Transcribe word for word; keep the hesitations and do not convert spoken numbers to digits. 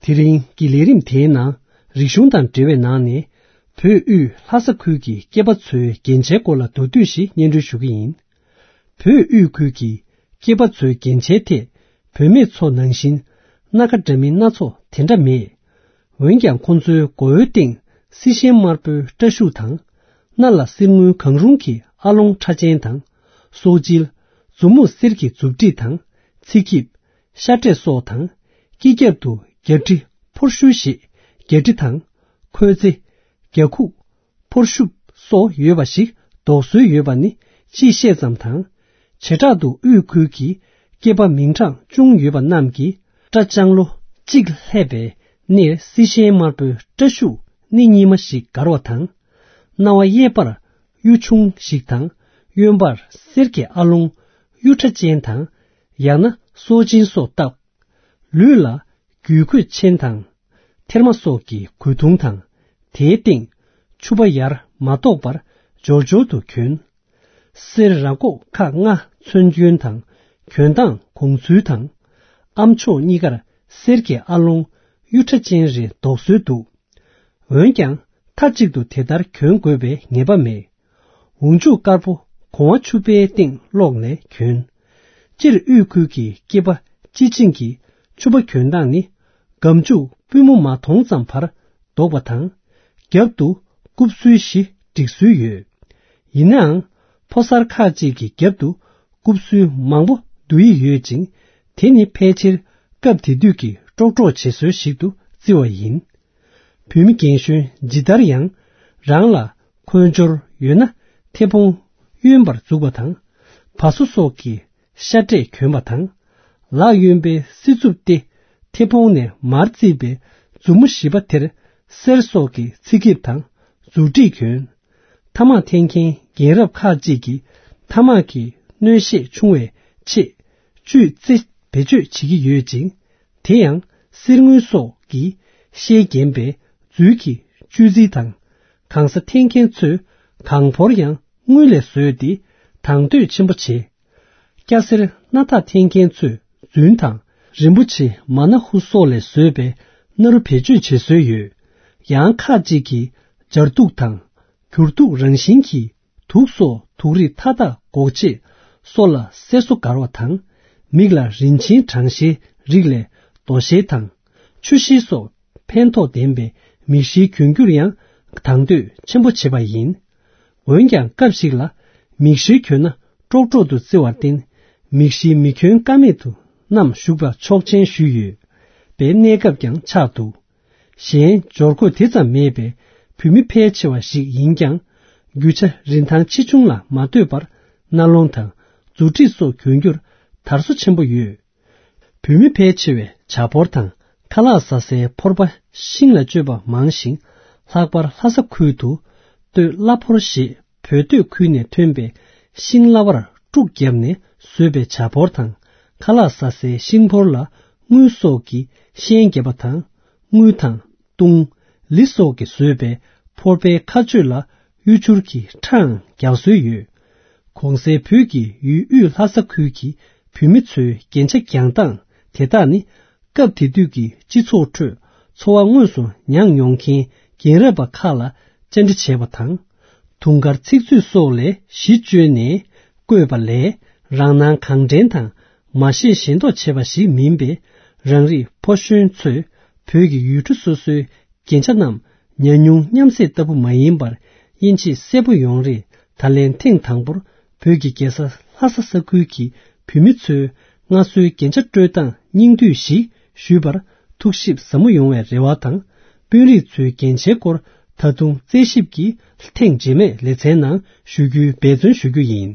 དེ་རིང་གི་ལས་རིམ་དེའི་ནང་། རིག་གཞུང་དང་འབྲེལ་བའི་ནང་ནས། བོད་དབུས་ལྷ་ས་ཁུལ་གྱི་སྐྱེས་པ་ཚོའི་རྒྱན་ཆའི་སྐོར་ལ་མདོར་བསྡུས་ཤིག་སྙན་སྒྲོན་ཞུ་གི་ཡིན། བོད་དབུས་ཁུལ་གྱི་སྐྱེས་པ་ཚོའི་རྒྱན་ཆའི་ཐད། བུད་མེད་ཚོ་ནང་བཞིན། སྣ་ཁ་འདྲ་མིན་སྣ་ཚོགས་དེ་འདྲ་མེད། འོན་ཀྱང་ཁོང་ཚོའི་མགོ་བོའི་སྟེང་སྲི་ཤན་དམར་པོའི་སྐྲ་ཤུགས་དང་། སྣ་ལ་གསེར་དངུལ་གང་རུང་གི་ཨ་ལོང་ཕྲ་ཅན་དང་། སོག་བྱིལ། མཛུབ་མོ་གསེར་གྱི་མཛུབ་དཀྲིས་དང་། ཚིགས་ཀྱིབ། ཤ་འབྲས་སོགས་དང་། སྐེ་རྒྱབ་ཏུ་རྒྱ་གྲི་ཕོར་ཤུ་ཞེས་རྒྱ་གྲི་དང་། ཁོལ་རྩེ། རྒྱ་ཁུག་ཕོར་ཤུབ་སོགས་ཡོད་པ་ཞིག་འདོགས་སྲོལ་ཡོད་པ་ནི་ཅིག་ཤད་ཙམ་དང་། བྱེ་བྲག་ཏུ་དབུས་ཁུལ་གྱི་སྐྱེས་པ་མིང་གྲངས་ཅུང་ཡོད་པ་རྣམས་ཀྱིས་སྐྲ་ལྕང་ལོ་གཅིག་ལྷེབ་པའི་སྣེར་སྲི་ཤན་དམར་པོའི་སྐྲ་ཤུགས་སྣེ་གཉིས་མ་ཞིག་བསྒར་བ་དང་། རྣ་བ་གཡས་པར་གཡུ་ཆུང་ཞིག་དང་། གཡོན་པར་གསེར་གྱི་ཨ་ལོང་གཡུ་ཁྲ་ཅན་དང་། ཡང་ན་སོག་ཅན་སོགས་བཏགས། ལུས་ལ་རྒྱུས་གོས་ཆེན་དང་། ཐེར་མ་སོགས་ཀྱི་གོས་ཐུང་དང་། དེའི་སྟེང་ཕྱུ་པ་ཡར་མ་གཏོགས་པར་འབྱོར་འབྱོར་དུ་གྱོན། གསེར་ར་མགོ་ཁག་ལྔ་ཚོན་གྱོན་དང་། གྱོན་སྟངས་གོང་ཚུལ་དང་། ཨ་མཆོག་གཉིས་ཀར་གསེར་གྱི་ཨ་ལོང་གཡུ་ཁྲ་ཅན་རེ་འདོགས་སྲོལ་འདུག། འོན་ཀྱང་མཐའ་གཅིག་ཏུ་དེ་ལྟར་གྱོན་དགོས་པའི་ངེས་པ་མེད། འོག་མཇུག་དཀར་པོ་གོང་བ་ཕྱུ་པའི་སྟེང་སློག་ནས་གྱོན། སྤྱིར་དབུས་ཁུལ་གྱི་སྐྱེས་པ་སྤྱི་བྱིངས་ཀྱི་ཕྱུ་པ་གྱོན་སྟངས་ནི། སྒམ་ཕྱུག་པུས་མོ་མ་མཐོང་ཙམ་བར་འདོགས་པ་དང་། རྒྱབ་ཏུ་རྐུབ་སུལ་བཞི་བསྒྲིགས་སྲོལ་ཡོད། ཡིན་ནའང་། ཕོ་གསར་ཁག་ཅིག་གི་རྒྱབ་ཏུ་རྐུབ་སུལ་མང་པོ་བསྡུ་ཡི་ཡོད་ཅིང་། དེ་ནི་ཕལ་ཆེར་སྐབས་དེ་དུས་ཀྱི་ཀྲོག་ཀྲོག་བྱེད་སྲོལ་ཞིག་ཏུ་བརྩི་བ་ཡིན། བོད་མི་རྒན་གཞོན་ཇི་ལྟར་ཡང་། རང་ལ་འཁོན་སྦྱོར་ཡོད་ན། མཐེ་བོང་གཡོན་པར་འཛུགས་པ་དང་། བ་སོ་སོགས་ཀྱི་ཤ་འབྲས་གྱོན་པ་དང་། ལག་གཡོན་པའི་སྲི་ཚུབ་སྟེ། མཐེ་བོང་ནས་མར་བརྩིས་པའི་མཛུབ་མོ་བཞི་པ་དེར་གསེར་སོགས་ཀྱི་ཚིགས་ཀྱིབ་དང་མཛུབ་དཀྲིས་གྱོན། ཐ་མག་འཐེན་མཁན་རྒན་རབས་ཁག་ཅིག་གིས་ཐ་མག་གི་གནོན་ཤེད་ཆུང་བའི་ཆེད་བཅུད་རྩི་བེད་སྤྱོད་བྱེད་ཀྱི་ཡོད་ཅིང་། དེ་ཡང་གསེར་དངུལ་སོགས་ཀྱི་ཤེལ་བརྒྱན་པའི་རྫུས་ཀྱི་བཅུད་རྩི་དང་། གང་ཟག་འཐེན་མཁན་ཚོས་གང་ཕོར་ཡང་དངུལ་ལས་བཟོས་ཏེ་དང་དོད་ཆེན་པོ་བྱེད། སྐྱ་སེར་སྣ་ཐག་འཐེན་མཁན་ཚོས་རྫུན་དང་རིན་པོ་ཆེ་མ་ན་ཧུ་སོགས་ལས་བཟོས་པའི་སྣ་རུ་བེད་སྤྱོད་བྱེད་སྲོལ་ཡོད། ཡང་ཁག་ཅིག་གིས་སྦྱར་དུག་དང་། འགྱུར་དུག་རང་བཞིན་གྱི་དུག་སོགས་དུག་རིགས་མཐའ་དག་འགོག་ཆེད་སོགས་ལ་གསེར་བཟོ་བསྒར་བ་དང་། མིག་ལ་རིན་ཆེན་གྲང་ཤེལ་རིགས་ལས་རྡོ་ཤེལ་དང་། ཆུ་ཤེལ་སོགས་ཕན་ཐོགས་ལྡན་པའི་མིག་ཤེལ་གྱོན་རྒྱུར་ཡང་དང་དོད་ཆེན་པོ་བྱེད་པ་ཡིན། འོན་ཀྱང་སྐབས་ཤིག་ལ་མིག་ཤེལ་གྱོན་ན་ཀྲོག་ཀྲོག་ཏུ་བརྩི་བར་བརྟེན། མིག་ཤེལ་མི་གྱོན་ཀ་མེད་དུ་བསྣམས་བཞུགས་པ་ཆོག་མཆན་ཞུས་ཡོད་པའི་གནས་སྐབས་ཀྱང་ཆགས་འདུག། གཞན་སྦྱོར་གོས་དེ་ཙམ་མེད་པའི་བོད་མི་ཕལ་ཆེ་བ་ཞིག་ཡིན་ཀྱང་། རྒྱུ་ཆ་རིན་ཐང་ཆེ་ཆུང་ལ་མ་ལྟོས་པར་རྣ་ལོང་དང་མཛུབ་དཀྲིས་སོགས་གྱོན་རྒྱུར་དར་སོ་ཆེན་པོ་ཡོད། བོད་མི་ཕལ་ཆེ་བས་བྱ་ཕོར་དང་ཁ་ལག་ཟ་སའི་ཕོར་པ་ཤིང་ལ་གཅོད་པ་མང་ཞིང་། ལྷག་པར་ལྷ་ས་ཁུལ་དུ་སྟོད་གླ་ཕོར་ཞེས་བོད་སྟོད་ཁུལ་ནས་ཐོན་པའི་ཤིང་གླ་བར་དཀྲུག་བརྒྱབ་ནས་བཟོས་པའི་བྱ་ཕོར་དང་། ཁ་ལག་ཟ་སའི་ཤིང་ཕོར་ལ་དངུལ་སོགས་ཀྱི་ཤན་བརྒྱབ་པ་དང་། དངུལ་དང་། དུང་། ལི་སོགས་ཀྱིས་བཟོས་པའི་ཕོར་པའི་ཁ་གཅོད་ལ་གཡུ་བྱུར་གྱི་ཁྲའང་རྒྱག་སྲོལ་ཡོད། གོང་གསལ་བོད་ཀྱི་ཡུལ་དབུས་ལྷ་ས་ཁུལ་གྱི་བོད་མི་ཚོའི་རྒྱན་ཆ་གྱོན་སྟངས་དེ་དག་ནི། སྐབས་དེ་དུས་ཀྱི་སྤྱི་ཚོགས་ཁྲོད་འཚོ་བ་དངོས་སུ་མྱངས་མྱོང་མཁན་རྒན་རབས་པ་ཁག་ལ་བཅར་འདྲི་བྱས་པ་དང་། དུང་དཀར་ཚིག་མཛོད་སོགས་ལས་གཞི་བཅོལ་ནས་བརྐོས་པ་ལས། རང་སྣང་གང་དྲན་དང་མ་ཤེས་ཞེན་མདོག་བྱས་པ་ཞིག་མིན་པས། རང་རིགས་ཕོ་གཞོན་ཚོས་བོད་ཀྱི་ཡུལ་གྲུ་སོ་སོའི་རྒྱན་ཆ་རྣམས་ཉམས་མྱོང་མཉམ་བསྲེས་ལྟ་བུ་མ་ཡིན་པར། དབྱེ་འབྱེད་གསལ་པོ་ཡོང་རེས། ད་ལན་ཐེངས་དང་པོར་བོད་ཀྱི་རྒྱལ་ས་ལྷ་ས་ས་ཁུལ་གྱི་བོད་མི་ཚོས་སྔར་སྲོལ་རྒྱན་ཆ་དཀྲོལ་སྟངས་སྙིང་བསྡུས་ཤིག་ཞུས་པར་ཐུགས་ཞིབ་ཟབ་མོ་ཡོང་བའི་རེ་བ་དང་། དཔོན་རིགས་ཚོའི་རྒྱན་ཆའི་སྐོར་ད་དུང་རྩད་ཞིབ་ཀྱིས་ཐེངས་རྗེས་མའི་ལེ་ཚན་ནང་ཞུ་རྒྱུའི་འབད་བརྩོན་ཞུ་རྒྱུ་ཡིན།